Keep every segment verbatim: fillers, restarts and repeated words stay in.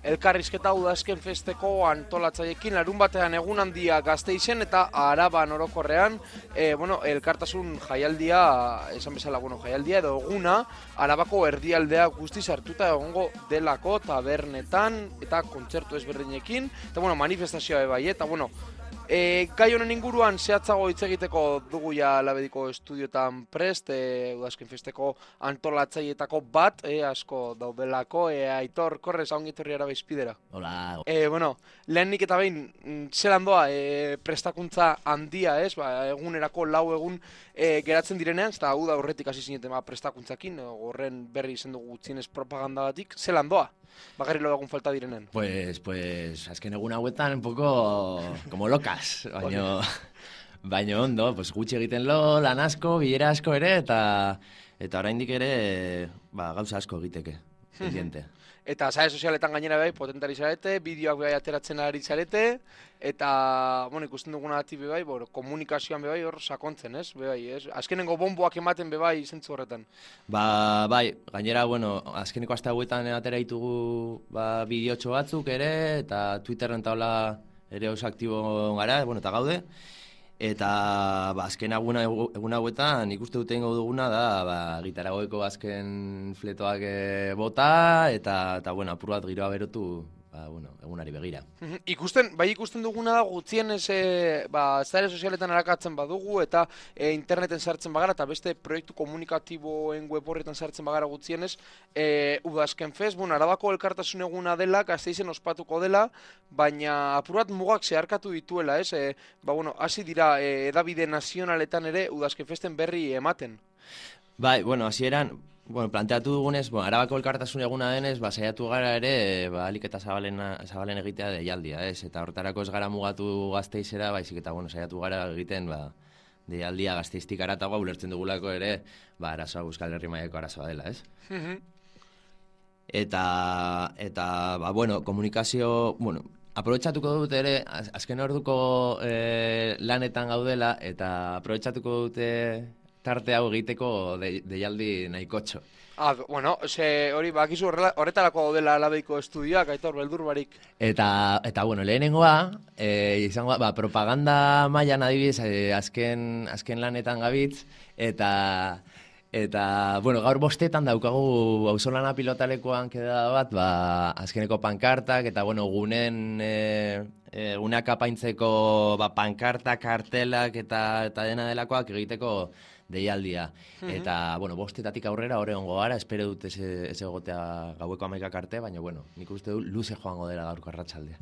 elkarrizketa udazken festeko antolatzaiekin, larun batean egun handia Gasteizen eta Araban orokorrean, e, bueno, elkartasun jaialdia, esan bezala, bueno, jaialdia edo eguna, Arabako erdialdea guztiz hartuta egongo delako tabernetan eta kontzertu ezberdinekin, eta bueno, manifestazioa bai, eta bueno, E, gai honen inguruan zehatzago hitz egiteko dugu ja Labediko estudiotan prest, e, udazken festeko antolatzaietako bat, e, asko daudelako, e, Aitor, korrez, haun gitorri Araba izpidera. Hola. E, bueno, lehenik eta behin, zelan doa e, prestakuntza handia, ez? Ba, egunerako lau egun e, geratzen direnean, eta hau da horretik hasi zineten ba, prestakuntzakin, horren berri izen dugu gutxienez propaganda batik, zelan doa? Bagarri lo egun falta direnen. Pues, pues, azken egun hauetan un poco como locas, baino, baino ondo, pues gutxi egiten lo, lan asko, bilera asko ere, eta eta oraindik ere, ba, gauza asko egiteke, pendiente. Eta sare sozialetan gainera bai, potentari zarete, bideoak bai ateratzen ari zarete, eta, bueno, ikusten duguna dati bebai, bueno, komunikazioan bebai hor sakontzen, ez? Bebai, ez? Azkenengo bomboak ematen bebai zentzu horretan. Ba, bai, gainera, bueno, azkeneko aste hauetan atera ditugu ba, bideotxo batzuk ere, eta Twitterren taula ere oso aktibo gara, bueno, eta gaude. Eta ba, azken eguna, egun hauetan ikuste dute ingo duguna da ba, gitaragoeko azken fletoak e, bota eta, eta bueno, apur bat giroa berotu ba, bueno, egunari begira. Ikusten, bai ikusten duguna da gutxien ez ba, zare sozialetan arakatzen badugu eta e, interneten sartzen bagara eta beste proiektu komunikatiboen web horretan sartzen bagara gutxienez e, udazken fest, bueno, Arabako elkartasun eguna dela, Gasteizen ospatuko dela, baina apur bat mugak zeharkatu dituela, ez? E, ba, bueno, hasi dira e, edabide nazionaletan ere udazken festen berri ematen. Bai, bueno, hasieran bueno, planteatu dugunez, bueno, Arabako elkartasun eguna denez, ba, saiatu gara ere, ba, alik eta zabalen, zabalen egitea deialdia, ez? Eta horretarako ez gara mugatu Gasteizera, baizik eta, bueno, saiatu gara egiten, ba, deialdia Gasteiztik aratagoa ulertzen dugulako ere, ba, arazoa Euskal Herri mailako arazoa dela, ez? Eta, eta, ba, bueno, komunikazio, bueno, aprobetxatuko dut ere, az, azken orduko e, lanetan gaudela, eta aprobetxatuko dute tarte hau egiteko de, deialdi nahikotxo. Ah, bueno, ze hori bakizu horretarako dela Labediko estudioak, Aitor, beldur barik. Eta, eta bueno, lehenengoa, e, izango, ba, propaganda mailan adibidez, e, azken, azken lanetan gabitz, eta, eta, bueno, gaur bostetan daukagu auzolana pilotalekoan keda bat, ba, azkeneko pankartak, eta, bueno, gunen, e, e, guneak apaintzeko, ba, pankartak, kartelak, eta, eta dena delakoak egiteko deialdia. Mm-hmm. Eta, bueno, bostetatik aurrera hori ongo gara, espero dut ez, ez egotea gaueko amaikak arte, baina, bueno, nik uste du luze joango dela gaurko arratsaldea.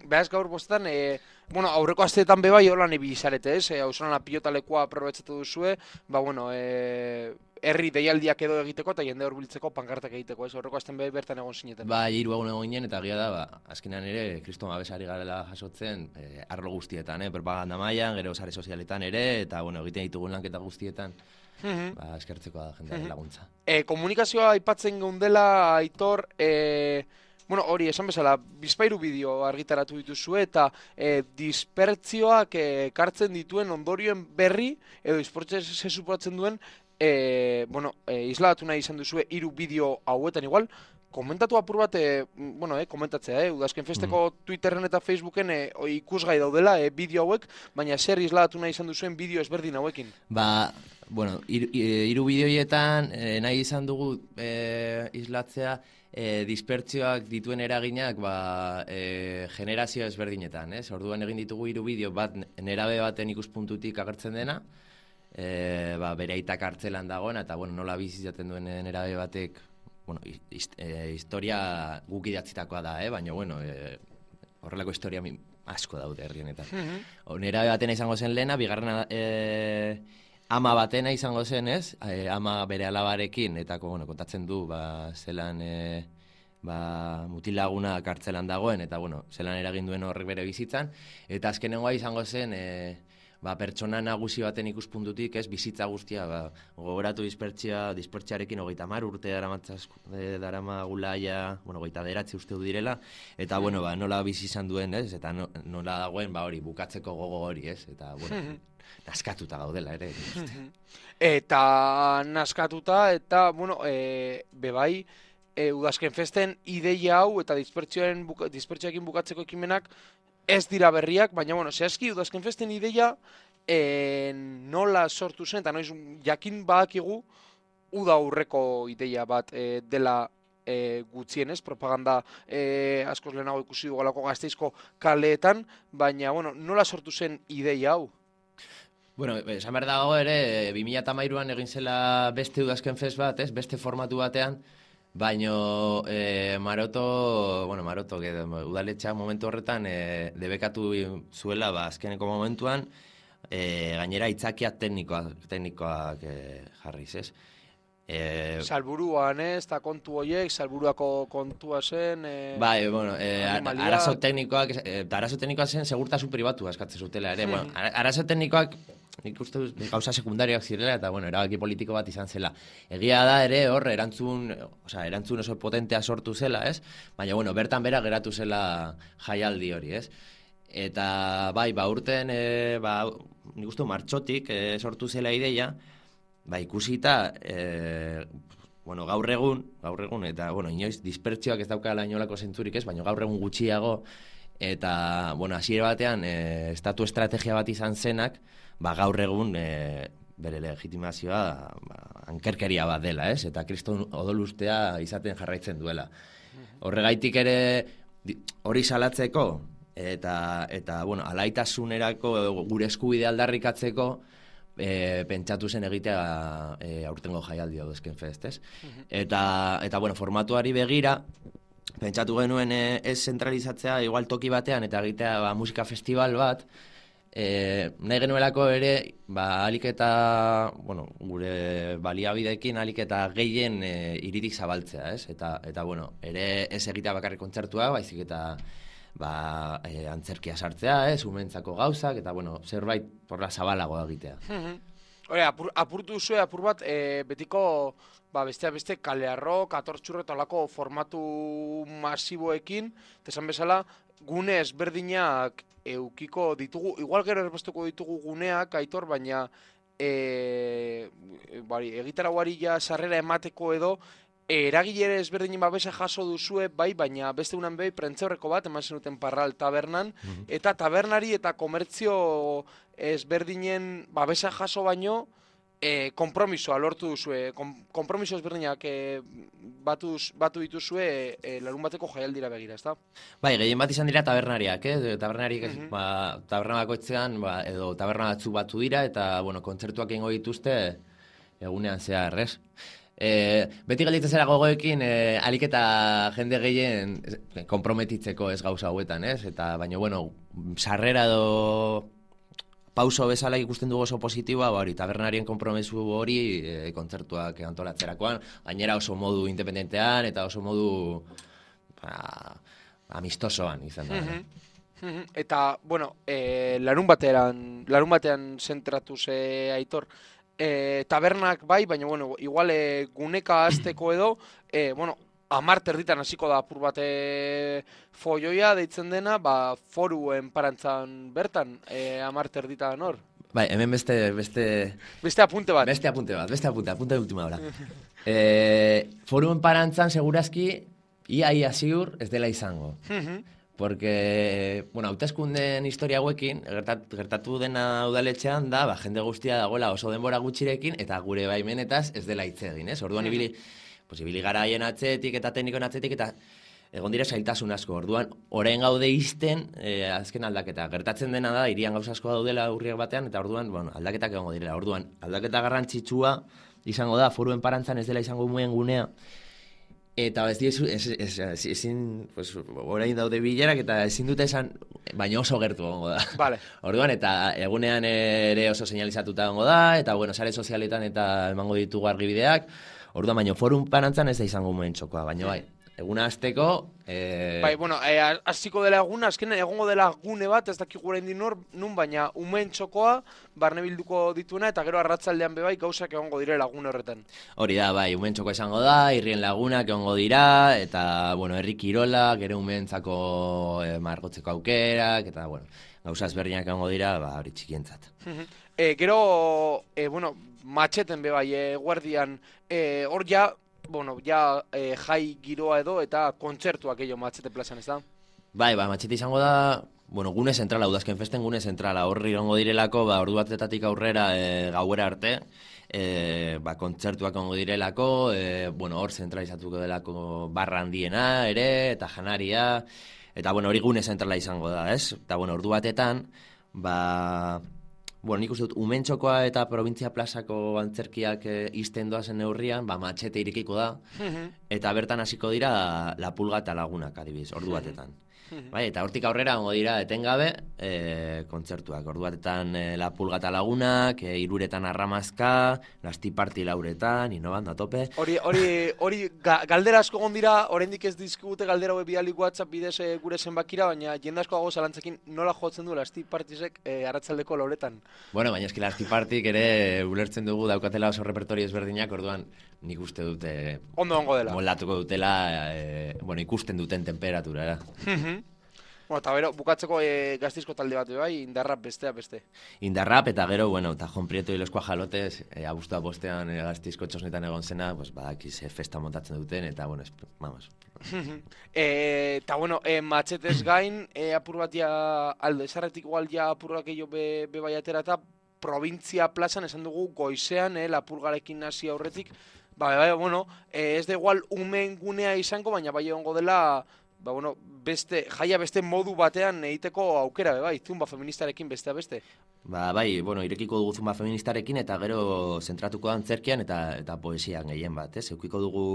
Behaz gaur bostetan, e, bueno, aurreko asteetan bebai holan ebizarete, ez? E, Auzolana pilotalekoa aprobetxatu duzue, ba, bueno, e, herri deialdiak edo egiteko eta jende horbiltzeko pankartak egiteko, ez? Aurreko asten bebai bertan egon zineten. Ba, hiru egun egon ginen, eta gira da, ba, azkenean ere, kriston abesari garela jasotzen, e, arlo guztietan, eh? Propaganda mailan, gero sare sozialetan ere, eta, bueno, egiten ditugun lanketa guztietan, mm-hmm. ba, eskertzeko da jendearen mm-hmm. laguntza. E, komunikazioa aipatzen geundela, Aitor, e, bueno, hori, esan bezala, bizpairu bideo argitaratu dituzue eta e, dispertzioak ekartzen dituen ondorioen berri, edo dispertzioa se suporatzen duen, e, bueno, e, isladatu nahi izan duzue hiru bideo hauetan igual, komentatu apur bat, e, bueno, e, komentatzea, eh? Udazken festeko mm. Twitterren eta Facebooken e, ikusgai daudela e, bideo hauek, baina zer isladatu nahi izan duzuen bideo ezberdin hauekin? Ba, bueno, hiru hiru bideoietan e, nahi izan dugu e, islatzea e, dispertzioak dituen eraginak ba, e, generazio ezberdinetan, ez? Orduan egin ditugu hiru bideo bat nerabe baten ikuspuntutik agertzen dena, e, ba, bere aitak hartzelan dagoen, eta bueno, nola bizi izaten duen nerabe batek, bueno, hist, e, historia guk idatzitakoa da, eh? Baina, bueno, e, horrelako historia asko daude herri honetan. Mm-hmm. Nerabe batena izango zen lehena, bigarrena e, ama batena izango zen, ez? E, ama bere alabarekin, eta bueno, kontatzen du, ba, zelan e, ba, mutilaguna kartzelan dagoen, eta bueno, zelan eragin duen horrek bere bizitzan, eta azkenengoa izango zen, e, ba, pertsona nagusi baten ikuspuntutik, ez, bizitza guztia, ba, gogoratu dispertzia, dispertziarekin hogeita hamar urte darama gulaia, bueno, hogeita bederatzi uste du direla, eta, bueno, ba, nola bizi izan duen, ez, eta no, nola dagoen, ba, hori, bukatzeko gogo hori, ez, eta, bueno, naskatuta gaudela, ere. Eta naskatuta, eta, bueno, e, bebai, e, udazken festen ideia hau eta dispertsioaren buka, dispertsioekin bukatzeko ekimenak ez dira berriak, baina bueno, zehazki udazken festen ideia e, nola sortu zen, eta noiz jakin badakigu uda aurreko ideia bat e, dela e, gutxienez, propaganda e, askoz lehenago ikusi dugalako Gasteizko kaleetan, baina bueno, nola sortu zen ideia hau? Bueno, esan behar dago ere, bi mila hamairuan egin zela beste udazken fest bat, ez? Beste formatu batean, baino e, Maroto, bueno, Maroto, udaletxea momentu horretan e, debekatu zuela, ba, azkeneko momentuan, e, gainera itzakiak teknikoak, teknikoak e, jarriz, ez? E, Salburuan, ez, eta kontu horiek, salburuako kontua zen... E, bai, bueno, e, arazo teknikoak, e, arazo teknikoak zen segurtasun pribatu eskatzen zutela, ere, bueno, arazo teknikoak, nik uste gauza sekundariak zirela, eta, bueno, erabaki politiko bat izan zela. Egia da ere, hor, erantzun, osea, erantzun oso potentea sortu zela, ez? Baina, bueno, bertan bera geratu zela jaialdi hori, ez? Eta, bai, ba, urten, e, ba, nik uste martxotik e, sortu zela ideia, ba, ikusita, e, bueno, gaur egun, gaur egun, eta, bueno, inoiz, dispertsioak ez daukala inolako zentzurik ez, baina gaur egun gutxiago, eta, bueno, hasiera batean, e, estatu estrategia bat izan zenak, ba, gaur egun e, bere legitimazioa ba, ankerkeria bat dela, ez? Eta kriston odolustea izaten jarraitzen duela. Horregaitik ere hori salatzeko eta, eta bueno, alaitasunerako gure eskubide aldarrikatzeko e, pentsatu zen egitea e, aurtengo jaialdia udazken fest, ez? Eta, eta bueno, formatuari begira, pentsatu genuen e, ez zentralizatzea igual toki batean eta egitea ba, musika festival bat, E, nahi genuelako ere, ba, alik eta, bueno, gure baliabideekin alik eta gehien e, iritik zabaltzea, ez? Eta, eta, bueno, ere ez egitea bakarrik kontzertua, baizik eta ba, e, antzerkia sartzea, ez? Umentzako gauzak, eta, bueno, zerbait porra zabalagoa egitea. Hore, apur, apurtu zuen, apur bat, e, betiko, ba, besteak beste, kalearro, katortxurro eta olako formatu masiboekin, esan bezala, gune ezberdinak eukiko ditugu, igual gero erbestuko ditugu guneak, Aitor, baina e, bari, egitaragoari ja sarrera emateko edo eragilere ezberdinen babesa jaso duzue, bai, baina beste unan behi prentzeurreko bat, eman zenuten Parral tabernan, mm-hmm. eta tabernari eta komertzio ezberdinen babesa jaso baino, E, kompromisoa lortu duzue, kom, kompromiso ezberdinak e, batu, batu dituzue e, larun bateko jaialdira begira, ezta? Bai, gehien bat izan dira tabernariak, eh? Tabernariak, mm-hmm. ba, taberna bakoitzean, ba, edo taberna batzu batu dira, eta, bueno, kontzertuak egingo dituzte egunean zehar, ez? E, beti galditzen zera gogoekin, e, alik eta jende gehien konprometitzeko ez gauza hauetan, ez? Eta, baina, bueno, sarrera edo pauso bezala ikusten dugu oso positiboa, ba hori, tabernarien konpromesu hori e, kontzertuak antolatzerakoan, gainera oso modu independentean eta oso modu ba, amistosoan izan da. Mm-hmm. Eta, bueno, e, larun batean, larun batean zentratu ze Aitor, e, tabernak bai, baina, bueno, igual e, guneka azteko edo, e, bueno, amar terditan hasiko da apur bate foioia deitzen dena, ba, foruen parantzan bertan, e, amar terditan hor. Bai, hemen beste, beste... Beste apunte bat. Beste apunte bat, beste apunte, apunte de última hora. e, foruen parantzan, segurazki, ia ia ziur ez dela izango. Porque, bueno, hauteskunden historia hauekin, gertat, gertatu dena udaletxean da, ba, jende guztia dagoela oso denbora gutxirekin, eta gure baimenetaz ez dela hitz egin, ez? Orduan ibili... Pues ibili garaien atzetik eta teknikoen atzetik eta egon dira zailtasun asko. Orduan, orain gaude izten e, azken aldaketa. Gertatzen dena da, irian gauza asko daudela urriak batean, eta orduan, bueno, aldaketak egongo direla. Orduan, aldaketa garrantzitsua izango da, foruen parantzan ez dela izango muen gunea. Eta ez diezu, ez, ez, ez, ezin, pues, orain daude bilerak eta ezin dute esan, baina oso gertu egongo da. Vale. Orduan, eta egunean ere oso señalizatuta egongo da, eta, bueno, sare sozialetan eta emango ditugu argibideak. Orduan, baina forum parantzan ez da izango muen txokoa, baina bai, eguna azteko... E... Bai, bueno, e, aziko dela eguna, azken egongo dela gune bat, ez dakik gure indin nun, baina umeen txokoa, barne bilduko dituena, eta gero arratzaldean bebai gauzak egongo direla gune horretan. Hori da, bai, umeen txokoa izango da, irrien lagunak egongo dira, eta, bueno, herri kirola, gero umeentzako e, margotzeko aukerak, eta, bueno, gauza ezberdinak egongo dira, ba, hori txikientzat. e, gero, e, bueno, matxeten bebai, e, guardian, hor e, ja, bueno, ja e, jai giroa edo eta kontzertuak edo Matxete plazan, ez da? Bai, ba, Matxete izango da, bueno, gune zentrala, udazken festen gune zentrala, horri ongo direlako, ba, ordu batetatik aurrera e, gauera arte, e, ba, kontzertuak ongo direlako, e, bueno, hor zentralizatuko delako barra handiena ere, eta janaria, eta, bueno, hori gune zentrala izango da, ez? Eta, bueno, ordu batetan, ba, bueno, nik uste dut, Umentxokoa eta Probintzia plazako antzerkiak e, izten doazen neurrian, ba, Matxete irekiko da, eta bertan hasiko dira La Pulga eta Lagunak, adibidez, ordu batetan. Bai, eta hortik aurrera ongo dira etengabe e, kontzertuak. Ordu batetan e, La Pulga eta Lagunak, e, iruretan Arramazka, Lasti Party lauretan, inoban, da tope. Hori, hori, hori ga, galdera asko egon dira, oraindik ez dizkigute galdera hau bidali WhatsApp bidez e, gure zenbakira, baina jende asko dago zalantzekin nola jotzen du Lasti Partysek e, arratsaldeko lauretan. Bueno, baina eski Lasti Partyk ere ulertzen dugu daukatela oso repertorio ezberdinak, orduan nik uste dute ondo ongo dela. Moldatuko dutela, e, bueno, ikusten duten temperatura. Bueno, eta bero, bukatzeko e, Gasteizko talde bat bai, Indarrap bestea beste. Indarrap eta gero, bueno, eta Jon Prieto y los Cuajalotes, e, abuztua bostean e, Gasteizko txosnetan egon zena, pues, badakiz e, festa montatzen duten, eta, bueno, es, vamos. e, eta, bueno, e, Matxetez gain, e, apur batia alde, esarretik igual ja apurrak eio be, be bai atera, eta Probintzia plazan esan dugu goizean, e, Lapurgarekin hasi aurretik, ba, bai, bueno, e, ez da igual umen gunea izango, baina bai egongo dela, ba, bueno, beste, jaia beste modu batean egiteko aukera, bai, zumba feministarekin bestea beste. Ba, bai, bueno, irekiko dugu zumba feministarekin eta gero zentratuko da antzerkian eta eta poesian gehien bat, ez? Eukiko dugu,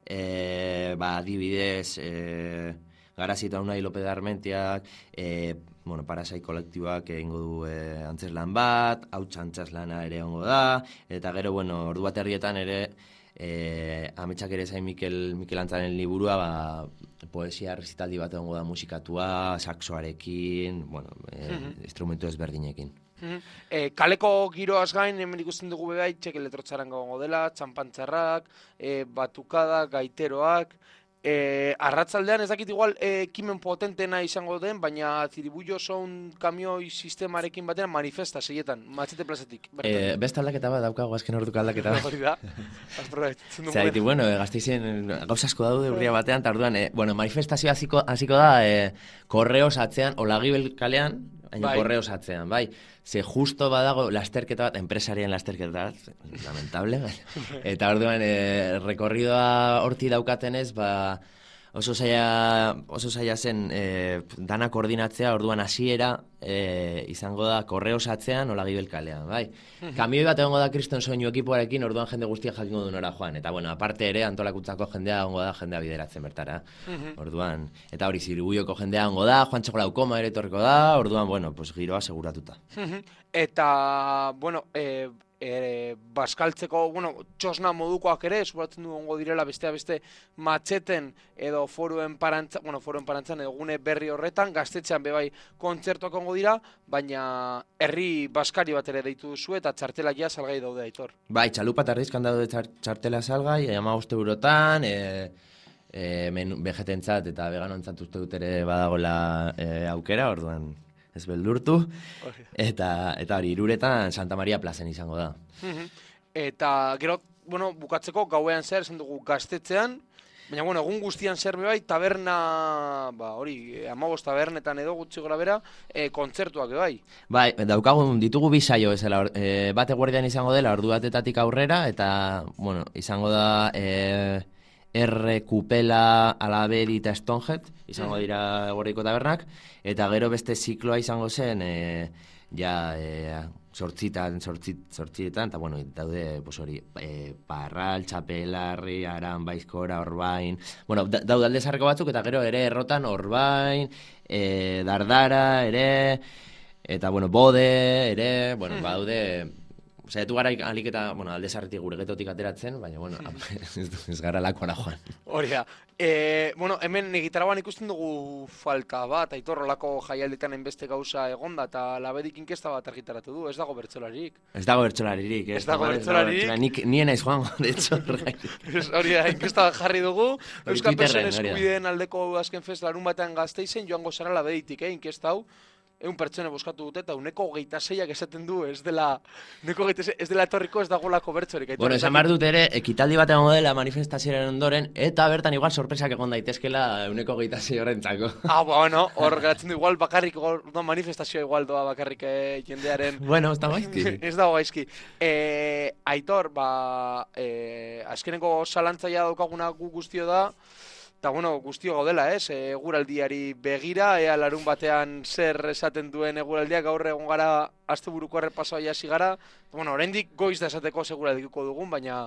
e, ba, adibidez, e, Garazi eta Unai López de Armentiak, e, bueno, Parasai kolektiboak egingo du e, antzeslan bat, Hauts antzeslana ere ongo da, eta gero, bueno, ordu bat herrietan ere, E, ametsak ere zain Mikel, Mikel Antzaren liburua, ba, poesia rezitaldi bat egongo da musikatua, saxoarekin, bueno, e, mm-hmm. instrumentu ezberdinekin. Mm-hmm. E, kaleko giroaz gain, hemen ikusten dugu bebai, txeke letrotxaran gongo dela, txampantzarrak, e, batukada, gaiteroak, E, arratzaldean ez dakit igual e, ekimen potentena izango den, baina Ziribullo sound kamioi sistemarekin batean manifesta seietan, Matxete plazatik. E, beste aldaketa bat daukago azken orduko aldaketa bat. Hori da. Zer, bueno, e, Gasteizen gauza asko daude urria batean, eta orduan, e, bueno, manifestazio hasiko hasiko da e, korreos atzean, Olagibel kalean, baina bai. Korreos atzean, bai. Ze justo badago lasterketa bat, enpresarien lasterketa bat, lamentable, eta orduan e, rekorridoa horti daukatenez, ba, oso zaila, oso zaila zen e, dana koordinatzea, orduan hasiera e, izango da korreos atzean Olagibel kalean, bai. Kamioi bat egongo da Kriston Soinu ekipoarekin, orduan jende guztia jakingo du nora joan, eta bueno, aparte ere antolakuntzako jendea egongo da jendea bideratzen bertara, orduan, eta hori Ziribullioko jendea egongo da, Juan Txoko Laukoma ere etorriko da, orduan, bueno, pues giroa seguratuta. Eta, bueno, e, e, baskaltzeko, bueno, txosna modukoak ere, esuratzen du ongo direla bestea beste Matxeten edo foruen parantzan, bueno, foruen parantzan edo gune berri horretan, Gaztetxean bebai kontzertuak ongo dira, baina herri baskari bat ere deitu duzu eta txartela ja salgai daude, Aitor. Bai, txalupa eta ardizkan daude txartela salgai, hamabost eurotan, e, e, vegetentzat eta veganontzat uste dut ere badagola e, aukera, orduan ez beldurtu, eta eta hori iruretan Santa Maria plazen izango da. Eta gero, bueno, bukatzeko gauean zer, esan dugu Gaztetxean, baina, bueno, egun guztian zer bai, taberna, ba, hori, hamabost tabernetan edo gutxi gora bera, e, kontzertuak bai. Bai, daukagun ditugu bi saio ezela, e, bate guardian izango dela, ordu batetatik aurrera, eta, bueno, izango da... E, R, Kupela, Alabedi eta Stonehead, izango dira Gorriko tabernak, eta gero beste zikloa izango zen, e, ja, e, sortzitan, sortzit, sortzietan, eta bueno, daude, pues hori, e, Parral, Txapelarri, Aran, Baizkora, Orbain, bueno, da, daude alde zarreko batzuk, eta gero ere errotan Orbain, e, Dardara, ere, eta bueno, Bode, ere, bueno, hmm. badaude... Zaitu gara alik eta, bueno, alde zarretik gure getotik ateratzen, baina, bueno, ez, ez gara lakora joan. Hori da. E, bueno, hemen egitaragoan ikusten dugu falta bat, Aitor, olako jaialditan enbeste gauza egonda, eta Labedik inkesta bat argitaratu du, ez dago bertsolaririk. Ez dago bertsolaririk, ez, ez dago bertsolaririk. Nik nien aiz joango, de hecho. Hori da, inkesta bat jarri dugu, Euskal Persoen eskubideen aldeko azken fest larun batean Gasteizen, joango zara Labeditik, eh, inkesta hau. eun pertsone boskatu dute, eta uneko hogeita seiak esaten du, ez dela, uneko hogeita sei, ez dela etorriko ez dagolako bertsorik. Bueno, esan behar dut ere, ekitaldi bat egongo dela manifestazioaren ondoren, eta bertan igual sorpresak egon daitezkela uneko hogeita sei horrentzako. Ah, bueno, hor geratzen du igual bakarrik, no, manifestazioa igual doa bakarrik eh, jendearen... Bueno, ez da gaizki. Ez dago gaizki. Eh, Aitor, ba, eh, azkeneko zalantzaia daukaguna gu guztio da, eta, bueno, guztio gaudela, ez? Eguraldiari begira, ea larun batean zer esaten duen eguraldia, gaur egon gara asteburuko errepasoa hasi gara. Bueno, oraindik goiz da esateko seguraldiko dugun, baina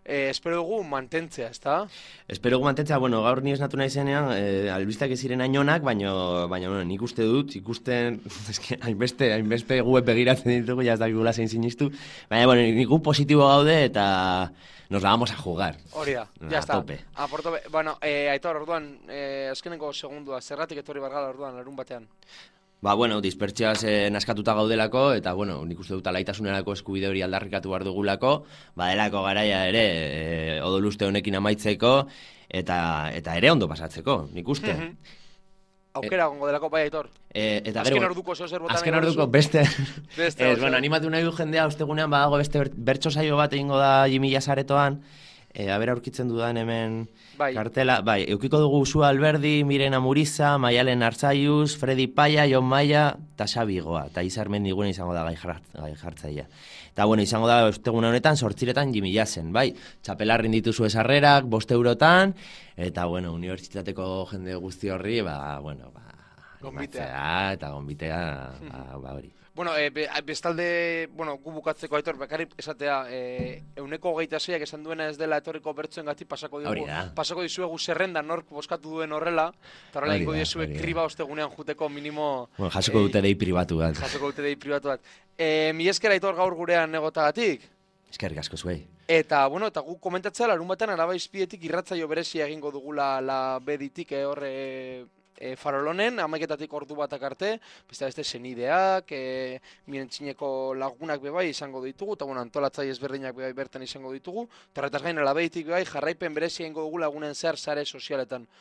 eh, espero dugu mantentzea, ezta? Espero dugu mantentzea, bueno, gaur ni esnatu nahi zenean, eh, albistak ez ziren hainonak, baina, baina bueno, nik uste dut, ikusten, eske, hainbeste, hainbeste guet begiratzen ditugu, ja ez dakikula zein sinistu, baina, bueno, nik gu positibo gaude eta nos la vamos a jugar. Hori da, ya está. A por tope. Bueno, eh, Aitor, orduan, eh, azkeneko segundua, zerratik etorri bargala orduan, larun batean? Ba, bueno, dispertsiaz eh, naskatuta gaudelako, eta, bueno, nik uste dut alaitasunerako eskubide hori aldarrikatu behar dugulako, badelako garaia ere, e, odoluste honekin amaitzeko, eta eta ere ondo pasatzeko, nik uste. Mm -hmm. Aukera gongo delako, bai, Aitor. E, eta azken gero, orduko zeo zer botan. Azken orduko beste... beste ez, bueno, animatu nahi du jendea, ostegunean badago beste bertso saio bat egingo da Jimmy Jasaretoan, e, abera aurkitzen dudan hemen bai. Kartela, bai, eukiko dugu Usua Alberdi, Mirena Muriza, Maialen Arzaiuz, Freddy Paya, Jon Maia, eta Xabi Goa, eta Izar Mendigune izango da gai, jart, gai jartzaia. Eta, bueno, izango da osteguna honetan, sortziretan Jimmy Jasen, bai, txapelarrin dituzu esarrerak, bost eurotan, eta, bueno, unibertsitateko jende guzti horri, ba, bueno, ba, gonbitea. Eta gonbitea, ba, ba hori. Bueno, e, be, bestalde, bueno, gu bukatzeko, Aitor, bakarrik esatea, e, euneko hogeita seiak esan duena ez dela etorriko bertsoen gati pasako diogu, pasako dizuegu zerrenda nork boskatu duen horrela, eta horrela ingo dizuek kriba ostegunean juteko minimo... Bueno, jasoko dute dei pribatu bat. Jasoko dute dei pribatu bat. E, mi esker, Aitor, gaur gurean negotagatik. Eskerrik asko zuei. Eta, bueno, eta gu komentatzea, larun batean Araba Izpietik irratzaio berezia egingo dugula la beditik, eh, horre... E, farolonen, amaiketatik ordu batak arte, beste beste senideak, e, mirentxineko lagunak bebai izango ditugu, eta bueno, antolatzai ezberdinak bebai bertan izango ditugu, eta horretaz gain alabeitik bebai jarraipen berezia ingo dugu lagunen zehar sare sozialetan.